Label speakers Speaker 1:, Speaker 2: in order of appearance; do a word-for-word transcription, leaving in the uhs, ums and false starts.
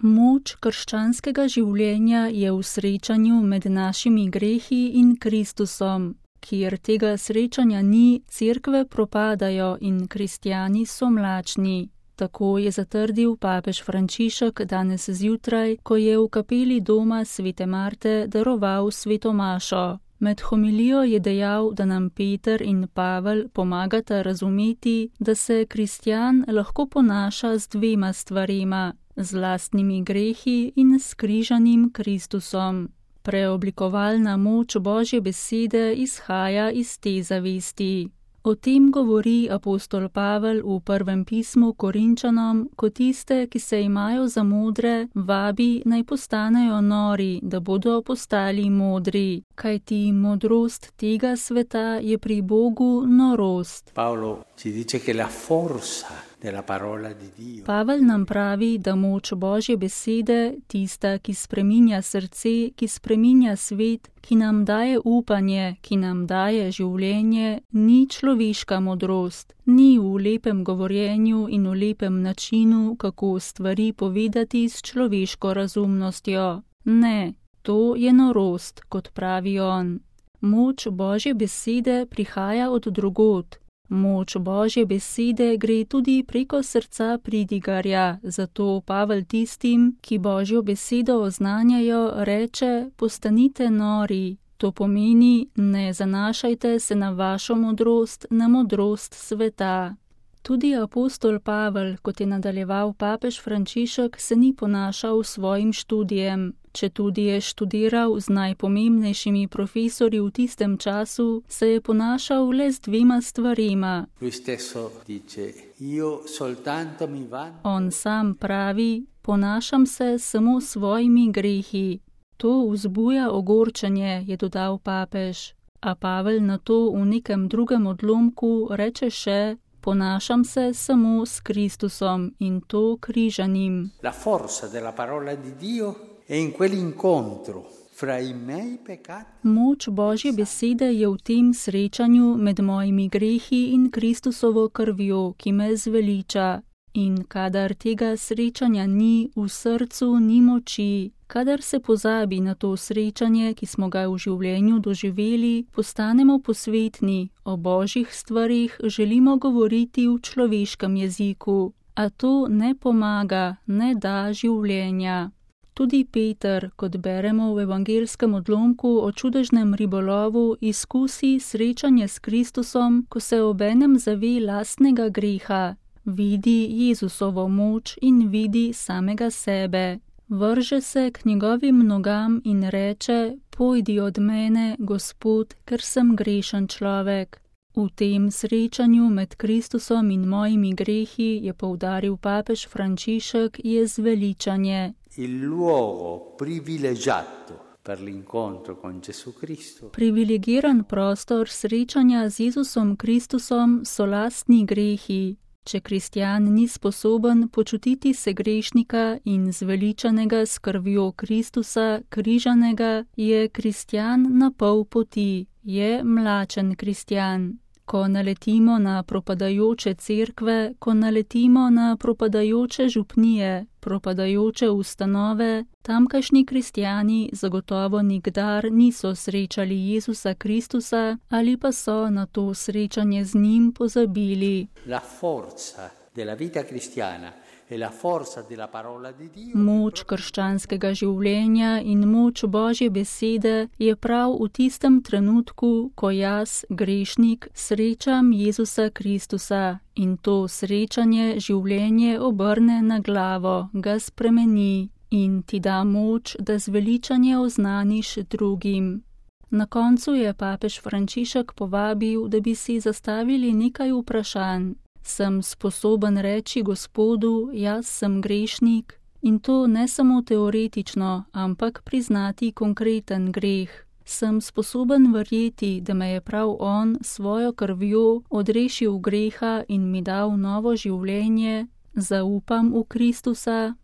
Speaker 1: Moč krščanskega življenja je v srečanju med našimi grehi in Kristusom. Kjer tega srečanja ni, cerkve propadajo in kristjani so mlačni. Tako je zatrdil papež Frančišek danes zjutraj, ko je v kapeli doma svete Marte daroval sveto mašo. Med homilijo je dejal, da nam Peter in Pavel pomagata razumeti, da se kristjan lahko ponaša z dvema stvarema, z lastnimi grehi in s križanim Kristusom. Preoblikovalna moč Božje besede izhaja iz te zavesti. O tem govori apostol Pavel v prvem pismu Korinčanom, ko tiste, ki se imajo za modre, vabi naj postanejo nori, da bodo postali modri, kajti modrost tega sveta je pri Bogu norost.
Speaker 2: Paolo ci dice che la forza della parola di Dio.
Speaker 1: Pavel nam pravi, da moč Božje besede, tista, ki spreminja srce, ki spreminja svet, ki nam daje upanje, ki nam daje življenje, ni človeška modrost, ni v lepem govorjenju in v lepem načinu, kako stvari povedati s človeško razumnostjo. Ne, to je norost, kot pravi on. Moč Božje besede prihaja od drugod. Moč Božje besede gre tudi preko srca pridigarja, zato Pavel tistim, ki Božjo besedo oznanjajo, reče: postanite nori. To pomeni, ne zanašajte se na vašo modrost, na modrost sveta. Tudi apostol Pavel, kot je nadaljeval papež Frančišek, se ni ponašal svojim študijem. Četudi je študiral z najpomembnejšimi profesorji v tistem času, se je ponašal le z dvema stvarema. On sam pravi: ponašam se samo svojimi grehi. To vzbuja ogorčenje, je dodal papež. A Pavel na to v nekem drugem odlomku reče še: ponašam se samo s Kristusom in to križanim.
Speaker 2: La forza della parola di Dio è in quell'incontro fra i miei peccati.
Speaker 1: Moč Božje besede je v tem srečanju med mojimi grehi in Kristusovo krvjo, ki me zveliča. In kadar tega srečanja ni, v srcu ni moči. Kadar se pozabi na to srečanje, ki smo ga v življenju doživeli, postanemo posvetni, o Božjih stvarih želimo govoriti v človeškem jeziku. A to ne pomaga, ne da življenja. Tudi Peter, kot beremo v evangelskem odlomku o čudežnem ribolovu, izkusi srečanje s Kristusom, ko se obenem zave lastnega greha. Vidi Jezusovo moč in vidi samega sebe. Vrže se k njegovim nogam in reče: pojdi od mene, Gospod, ker sem grešen človek. V tem srečanju med Kristusom in mojimi grehi, je poudaril papež Frančišek, je zveličanje.
Speaker 2: Il luogo privilegiato per l'incontro con Gesù Cristo.
Speaker 1: Privilegiran prostor srečanja z Jezusom Kristusom so lastni grehi. Če kristjan ni sposoben počutiti se grešnika in zveličanega s krvjo Kristusa, križanega, je kristjan na pol poti, je mlačen kristjan. Ko naletimo na propadajoče cerkve, ko naletimo na propadajoče župnije, propadajoče ustanove, tamkajšnji kristjani zagotovo nikdar niso srečali Jezusa Kristusa ali pa so na to srečanje z njim pozabili.
Speaker 2: La forza della vita cristiana e la forza della parola di Dio.
Speaker 1: Moč krščanskega življenja in moč Božje besede je prav v tistem trenutku, ko jaz, grešnik, srečam Jezusa Kristusa in to srečanje življenje obrne na glavo, ga spremeni in ti da moč, da zveličanje oznaniš drugim. Na koncu je papež Frančišek povabil, da bi si zastavili nekaj vprašanj. Sem sposoben reči Gospodu: jaz sem grešnik, in to ne samo teoretično, ampak priznati konkreten greh. Sem sposoben verjeti, da me je prav on svojo krvjo odrešil greha in mi dal novo življenje. Zaupam v Kristusa.